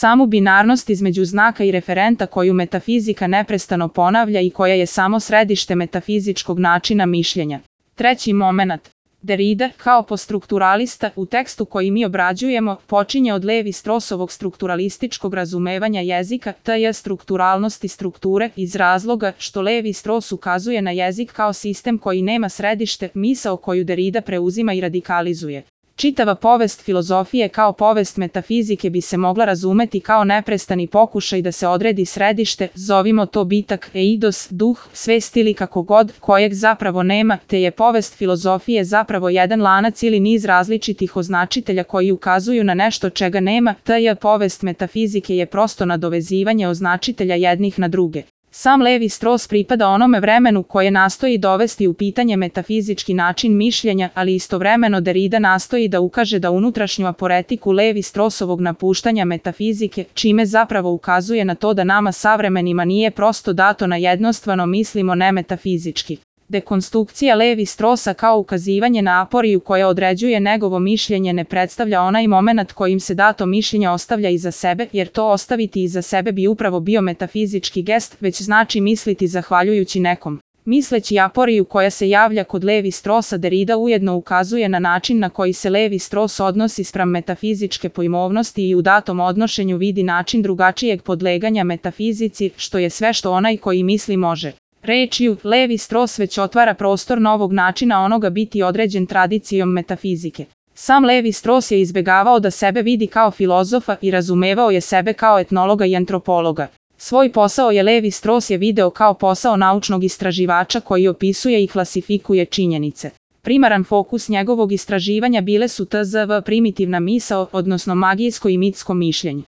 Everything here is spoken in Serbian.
samu binarnost između znaka i referenta koju metafizika neprestano ponavlja i koja je samo središte metafizičkog načina mišljenja. Treći momenat. Derrida, kao postrukturalista, u tekstu koji mi obrađujemo, počinje od Levi-Straussovog strukturalističkog razumevanja jezika, tj. strukturalnosti strukture, iz razloga što Levi-Strauss ukazuje na jezik kao sistem koji nema središte, misao koju Derrida preuzima i radikalizuje. Čitava povest filozofije kao povest metafizike bi se mogla razumeti kao neprestani pokušaj da se odredi središte, zovimo to bitak, eidos, duh, svest ili kako god, kojeg zapravo nema, te je povest filozofije zapravo jedan lanac ili niz različitih označitelja koji ukazuju na nešto čega nema, te povest metafizike je prosto nadovezivanje označitelja jednih na druge. Sam Levi-Strauss pripada onome vremenu koje nastoji dovesti u pitanje metafizički način mišljenja, ali istovremeno Derrida nastoji da ukaže da unutrašnju aporetiku Levi-Straussovog napuštanja metafizike, čime zapravo ukazuje na to da nama savremenima nije prosto dato na jednostavno mislimo ne metafizički. Dekonstrukcija Levi-Straussa kao ukazivanje na aporiju koja određuje njegovo mišljenje ne predstavlja onaj moment kojim se dato mišljenje ostavlja iza sebe, jer to ostaviti iza sebe bi upravo bio metafizički gest, već znači misliti zahvaljujući nekom. Misleći aporiju koja se javlja kod Levi-Straussa, Derrida ujedno ukazuje na način na koji se Levi-Strauss odnosi spram metafizičke pojmovnosti i u datom odnošenju vidi način drugačijeg podleganja metafizici, što je sve što onaj koji misli može. Rečju, Levi-Strauss već otvara prostor novog načina onoga biti određen tradicijom metafizike. Sam Levi-Strauss je izbegavao da sebe vidi kao filozofa i razumevao je sebe kao etnologa i antropologa. Svoj posao je Levi-Strauss video kao posao naučnog istraživača koji opisuje i klasifikuje činjenice. Primaran fokus njegovog istraživanja bile su tzv. primitivna misao, odnosno magijsko i mitsko mišljenje.